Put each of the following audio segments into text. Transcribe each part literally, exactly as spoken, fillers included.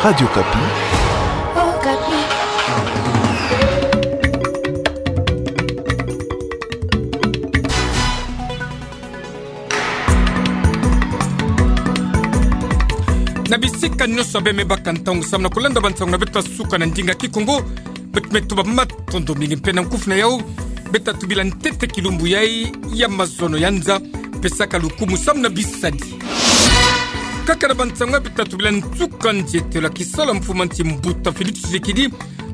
Radio Okapi. Na bisika nyonso abe me baka ntangu samu na kulanda bansangu na beto ya suka na ndinga Kikongo, beto me tuba matondo mingi mpe na nkufi na yau, beto tubila ntete kilumbu yai ya mazono ya nza, mpe saka lukumu samu na bisadi. Kaka na bansangu ya beto tubila nsuka nzietelo ya kisalu ya mfumansi mbuta Félix Tshisekedi,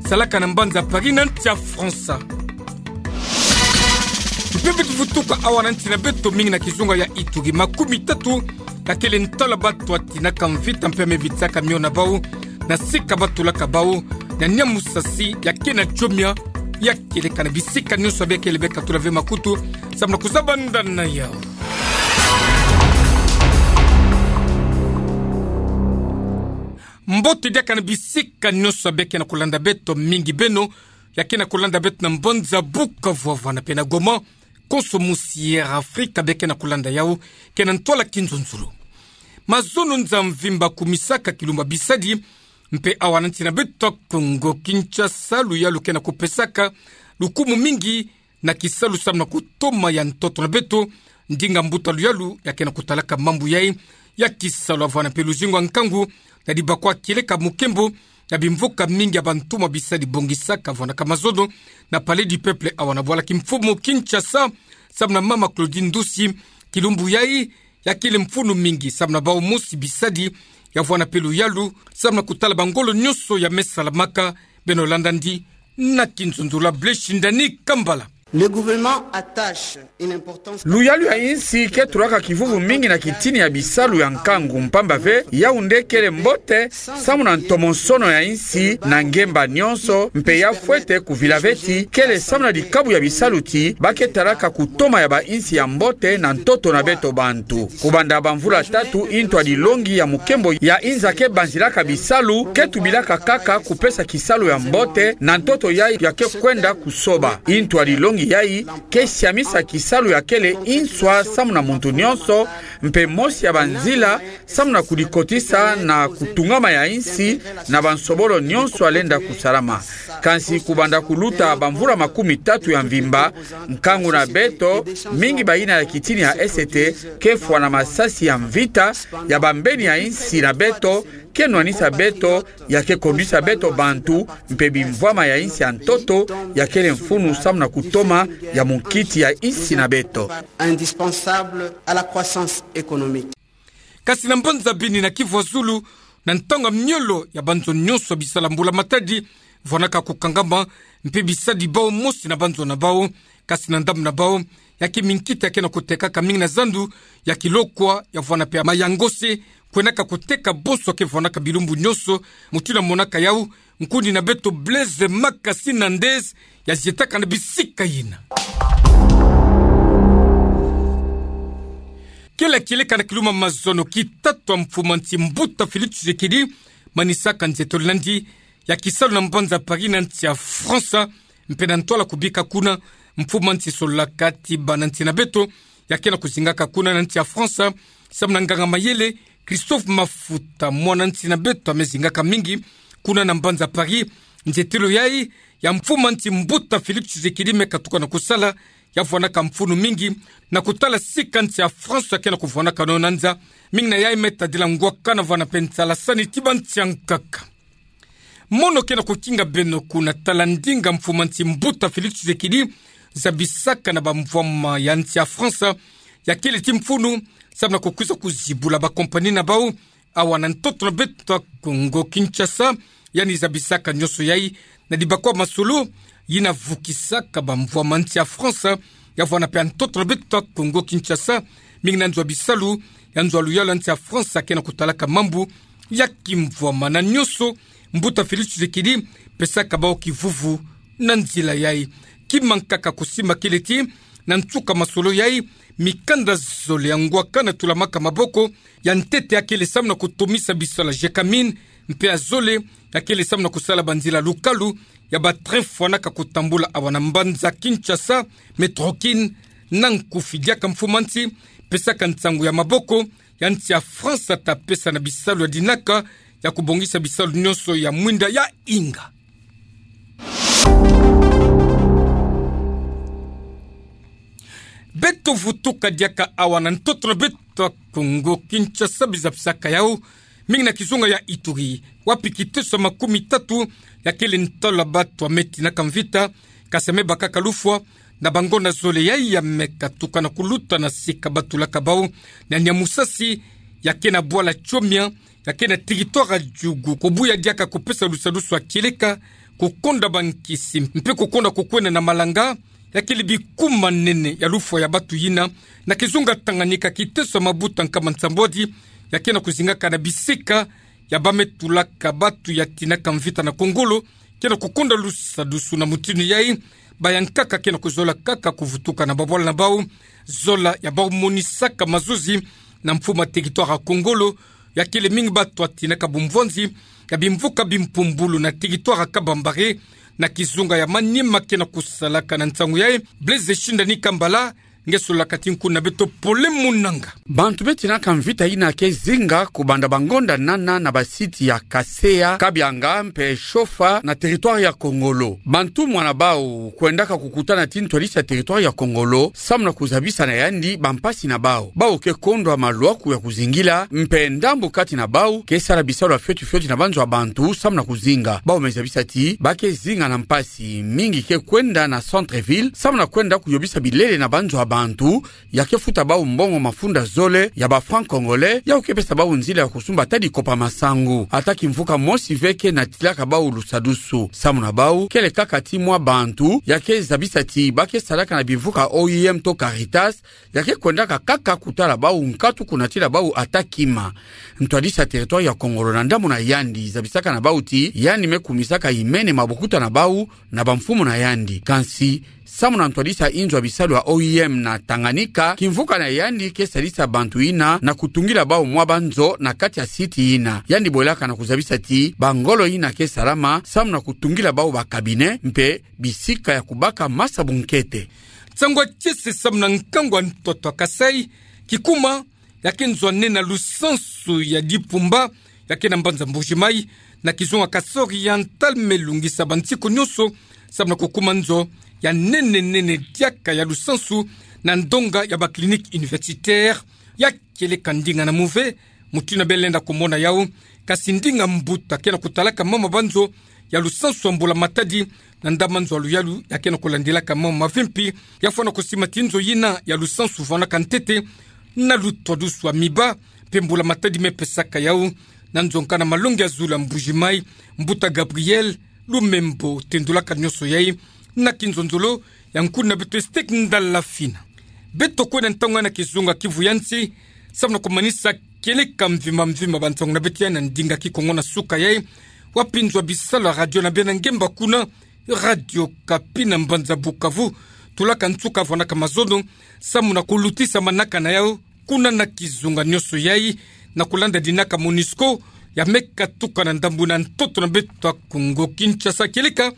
salaka na mbanza Paris na nsi ya Fransa. Mpe beto vutuka awa na nsi na beto mingi na kizunga ya Ituri, makumi tatu ya kele ntwala bato ya tinaka mvita mpe ya me vitisaka mio na bau, na sika batulaka bau, na Niamusasi ya ke na Djomia, ya kieleka na bisika nyonso abe kele beka tula ve makutu, samu na kuzabanda na yau. Mbote diaka na bisika nyonso abe ke na kulanda beto, mingi beno ya ke na kulanda beto na mbanza Bukavu, Havana mpe na Goma, konso musi ya Afrika abe ke na kulanda yau, ke na ntwala kinzonzolo. Mazono nza mvimba kumisaka kilumbu ya bisadi, mpe awa na nsi na beto Kongo Kinshasa, luyalu ke na kupesaka lukumu mingi na kisalu samu na kutoma ya ntoto na beto, ndinga mbuta luyalu ya ke na kutalaka mambu yai ya kisalu. Havana mpe luzingu ya nkangu na dibakwa kieleka mukembo na bimvuka mingi ya bantumwa bisadi bongisaka vwanaka mazono na Palais du Peuple awa na bwala kimfumu Kinshasa, samu na mama Claudine Ndusi, kilumbu yai ya kele mfunu mingi samu na bau mosi bisadi, ya vwana mpe luyalu samu na kutala bangolo nyonso ya me salamaka. Beno landa ndi na kinzonzolo. Blessing Dani Kambala. Le gouvernement attache une importance. Luyalu ya insi ke tulaka kivuvu mingi na kitini ya bisalu ya nkangu, mpamba ve yau nde kele mbote samu na ntomonsono ya insi na ngemba nyonso, mpe ya fwete kuvila ve ti kele samu na dikabu ya bisalu ti ba ke talaka kutoma ya bainsi ya mbote na ntoto na beto bantu. Kubanda bamvula tatu, intwa dilongi ya mukembo ya inza ke banzilaka bisalu ke tubilaka kaka kupesa kisalu ya mbote na ntoto yai ya ke kwenda kusoba. Intwa dilongi yai ke siamisa kisalu ya kele inswa samu na muntu nyonso, mpe mosi ya banzila samu na kudikotisa na kutungama ya insi na bansobolo nyonso ya lenda kusalama. Kansi kubanda kuluta bamvula makumi tatu ya mvimba, nkangu na beto, mingi bayina ya kitini ya esete, ke fwa na masasi ya mvita ya bambeni ya insi na beto, ke nwanisa beto, ya ke kondwisa beto bantu, mpe bimvwama ya insi ya ntoto ya kele mfunu samu na kutoma ya munkiti ya insi na beto. Indispensable à la croissance économique. Kasi na mbanza Beni na Kivu ya Zulu, na ntangu ya miolo ya banzo nyonso ya bisala mbula matadi vwanaka kukangama, mpe bisadi bau mosi na banzo na bau, kasi na ndambu na bau, ya ke minkita ya ke na kutekaka mingi na zandu ya kilokwa, ya vwana mpe ya mayangose, kwenaka kuteka bonso ya ke vwanaka bilumbu nyonso. Mutindu ya monaka yau, nkundi na beto Blaise Makasi Nandez ya zietaka na bisika yina. Kele kieleka na kilumbu ya mazono ki tatu ya mfumansi mbuta Félix Tshisekedi, manisaka nzietolo na ndi ya kisalu na mbanza Paris na nsi ya Fransa, mpe na ntwala kubika kuna, mfumansi solaka ti bana nsi na beto ya ke na kuzingaka kuna na nsi ya Fransa, samu na nganga mayele Christophe Mafuta, mwana nsi na beto ya me zingaka mingi kuna na mbanza Paris. Nzietelo yai ya mfumansi mbuta Félix Tshisekedi me katuka na kusala, ya vwanaka mfunu mingi na kutala sika nsi ya Fransa ya ke na kuvwanaka nao na nza, mingi na yai me tadila ngwakana vwana mpe nsalasani ti bansi ya nkaka. Mono ke na kukinga beno kuna, tala ndinga mfumansi mbuta Félix Tshisekedi zabisaka na bamvwama ya nsi ya Fransa ya kele ti mfunu, samu na kukwiza kuzibula bakompani na bau awa na ntoto na beto ya Kongo Kinshasa. Yandi zabisaka nyonso yai na dibakwa masolo yina vukisaka bamvwama nsi ya Fransa, ya vwana mpe ya ntoto na beto ya Kongo Kinshasa, mingi na nzo ya bisalu ya nzo ya luyalu ya nsi ya Fransa ke na kutalaka mambu ya kimvwama. Na nyonso, mbuta Félix Tshisekedi pesaka bau kivuvu na nzila yai. Kima nkaka kusimba kele ti, na nsuka masolo yai, mikanda zole ya ngwakana tulamaka maboko, ya ntete ya kele samu na kutomisa bisala Gécamines, mpe ya zole ya kele samu na kusala banzila lukalu ya ba train fwanaka kutambula awa na mbanza Kinshasa, Métro Kin, na nkufi. Diaka mfumansi pesaka nsangu ya maboko ya nsi ya Fransa ta pesa na bisalu ya dinaka ya kobongisa bisalu nyonso ya mwinda ya inga. Beto vutuka diaka awa na ntoto na beto ya Kongo Kinshasa, biza bisaka yau mingi na kizunga ya Ituri, wapi kiteso ya makumi tatu ya kele ntalo ya bato ya me tinaka mvita, kasi ya me bakaka lufwa na bangonda zole yayi ya me katuka na kuluta na sika batulaka bau na Nyamusasi, ya ke na bwala Tchomia, ya ke na territoire ya Djugu, kobuya diaka kopesa lusadusu ya kieleka, kokonda bankisi, mpe kokonda kokwenda na malanga, ya kele bikuma nene ya lufwa ya bato yina, na kizunga Tanganyika, kiteso ya mabuta nkama nsambwadi ya ke na kozingaka na bisika ya ba me tulaka bato ya tinaka mvita na Kongolo, ke na kokonda lusadusu na mutindu yayi. Bayankaka ke na kozola kaka kovutuka na babwala na bau, zola ya bau monisaka mazozi na mfumu ya territoire ya Kongolo, ya kele mingi bato ya tinaka bumvwanzi ya bimvuka bimpumbulu na territoire ya Kabambare, na kizunga ya Maniema, ke na kosalaka na nsangu yayi Blaise Shindani Kambala, nge solaka ti nkuna beto Pole Munanga. Bantu be tinaka mvita yina ke zinga kobanda bangonda nana na basite ya Kaseya, Kabianga mpe Shofa na territoire ya Kongolo. Bantu mwana bau kwendaka kokutana ti ntwadisi ya territoire ya Kongolo samu na kozabisa na yandi bampasi na bau. Bau ke kondwa malwaku ya kozingila, mpe ndambu kati na bau ke sala bisalu ya fioti fioti na banzo ya bantu samu na kozinga. Bau me zabisa ti ba ke zinga na mpasi, mingi ke kwenda na centre-ville samu na kwenda koyobisa bilele na banzo ya bantu, ya ke futa bau mbongo mafunda zole ya ba francs congolais, yaku ke pesa bau nzila ya kosumba ata dikopa masangu. Ata kimvuka mosi ve ke natilaka bau lusadusu. Samu na bau, kele kaka ti mwa bantu ya ke zabisa ti ba ke salaka na bimvuka O I M to Caritas, ya ke kwendaka kaka kotala bau nkatu, konatila bau ata kima. Ntwadisi ya territoire ya Kongolo na ndambu na yandi zabisaka na bau ti yandi me kumisaka imene mabokuta na bau na bamfumu na yandi. Kansi, samu na ntwadisi ya inzo ya bisalu ya O I M na Tanganyika, kimvuka na yandi ke sadisa bantu yina na kotungila bau mwa banzo na kati ya site yina. Yandi bwelaka na kozabisa ti bangolo yina ke salama samu na kotungila bau ba cabinet mpe bisika ya kobaka masabu nkete. Nsangu ya kiese samu na nkangu ya ntoto ya Kasaï, kikuma ya ke nzo ya nene ya lusansu ya Dipumba, ya ke na mbanza Mbuji-Mayi, na kizunga Kasaï Oriental, me lungisa bansiku nyonso samu na kokuma nzo ya nene nene diaka ya lusansu na ndonga ya ba clinique universitaire. Ya kieleka ndinga na muve, mutindu ya be lenda komona yau, kasi ndinga mbuta ke na kotalaka mama banzo ya lusansu ya mbula matadi, na ndama nzo ya luyalu ya ke na kolandilaka mama mavimpi, ya fwana kosima ti nzo yina ya lusansu vwanaka ntete na lutwadusu ya miba, mpe mbula matadi me pesaka yau na nzo nkana malongi ya zulu ya Mbuji-Mayi, mbuta Gabriel Lumembo, tendulaka nyonso yayi na kinzonzolo ya nkuna beto Estek Ndala Fina. Beto kwenda ntangu na kizunga Kivu ya nsi, samu na komanisa kieleka mvimba mvimba bansangu na beto yayi na ndinga Kikongo na suka yayi, wapi nzo ya bisalu ya radio na bena ngemba kuna, Radio Okapi na mbanza Bukavu, tulaka nsuka vwanaka mazono samu na kolutisa manaka na yau kuna na kizunga nyonso yayi, na kolanda dinaka MONUSCO ya me katuka na ndambu na ntoto na beto ya Kongo Kinshasa. Kieleka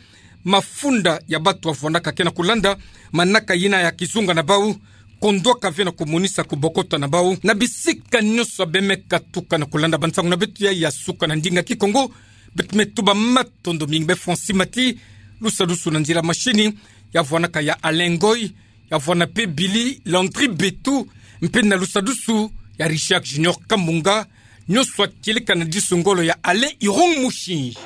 mafunda ya bato ya vwanaka ke na kolanda manaka yina ya kizunga na bau, kondwaka ve na komonisa kobokota na bau na bisika nyonso ya be me katuka na kolanda bansangu na beto yayi ya suka na ndinga Kikongo. Beto me tuba matondo mingi. Be Francis Mati, lusadusu na nzila mashini, ya vwanaka ya Alain Ngoy, ya vwana mpe Billy Landry Betu, mpe na lusadusu ya Richard Junior Kamunga, nyonso ya kieleka na disu ngolo ya Alain Irung Mushinji.